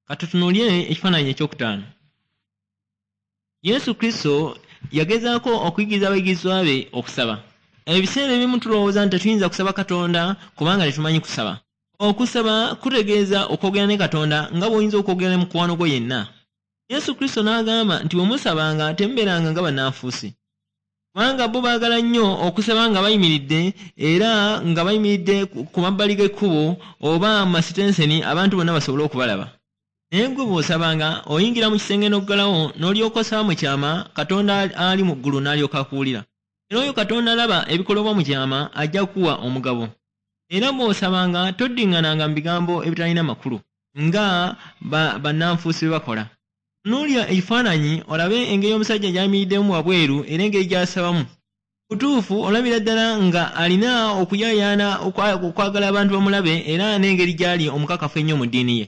Katutunuulire ekifaananyi ekyokutaano. Yesu Kristo yagezaako okuyigiriza abayigirizwa be okusaba. Ebiseera ebimu tulowooza nti tetuyinza kusaba Katonda kubanga tetumanyi kusaba. Okusaba kutegeeza okwogera ne Katonda nga bw'oyinza okwogera ne mukwano gwo yenna. Yesu Kristo n'agamba nti bwe musabanga temubeeranga nga bannanfuusi. Kubanga bo baagala nnyo okusaba nga bayimiridde era nga bayimiridde ku mabbali g'ekkubo oba mu masitenseni abantu bonna basobole okubalaba. Naye ggwe bw'osabanga, oyingira mu kisenge n'oggalawo, n'olyoka osaba mu kyama, Katonda ali mu ggulu n'alyoka akuwulira. Era oyo Katonda alaba ebikolebwa mu kyama ajja kukuwa omugabo. Era bw'osabanga toddiŋŋananga mu bigambo ebitalina makulu, nga bannanfuusi bwe bakola. Tunuulira ekifaananyi olabe engeri omusajja gy'ayimiriddemu wabweru era engeri gy'asabamu. Butuufu olabira ddala nga alina okuyaayaana okwagala abantu bamulabe era n'engeri gy'ali omukakafu ennyo mu ddiini ye.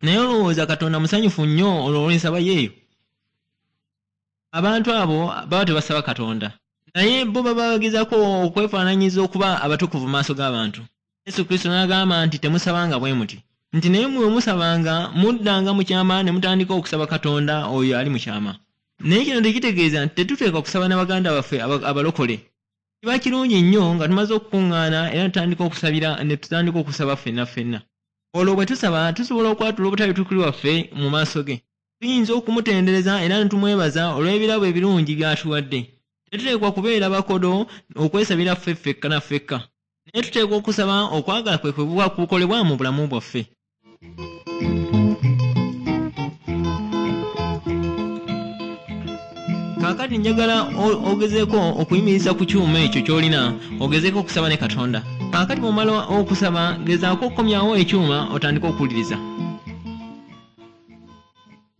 Naye olowooza Katonda musanyufu nnyo olw'ensaba ye eyo? Abantu abo baba tebasaba Katonda. Naye bo baba bagezaako okwefaananyiriza okuba abatukuvu mu maaso g'abantu. Yesu Kristo n'agamba nti temusabanga bwe muti. Nti naye mmwe bwe musabanga, muddanga mu kyama ne mutandika okusaba Katonda oyo ali mu kyama. Naye kino tekitegeeza nti tetuteekwa kusaba na baganda baffe abalokole. Kiba kirungi nnyo nga tumaze okukuŋŋaana era ne tutandika okusabira ne tutandika okusaba ffenna ffenna. Olwo bwe tusaba tusobola okwatula obutali butuukirivu bwaffe mu maaso ge. Tuyinza okumutendereza era ne tumwebaza olw'ebirabo ebirungi by'atuwadde. Tetuteekwa kubeera bakodo okwesabira ffe ffekka na ffekka. Naye tuteekwa okusaba okwagala kwe kwe kuba kukolebwa mu bulamu bwaffe. Kaakati njagala ogezeeko okuyimiriza ku kyuma ekyo ky'olina ogezeeko okusaba ne Katonda. Kaakati bw'omala okusaba gezaako okukomyawo ekyuma otandike okuwuliriza.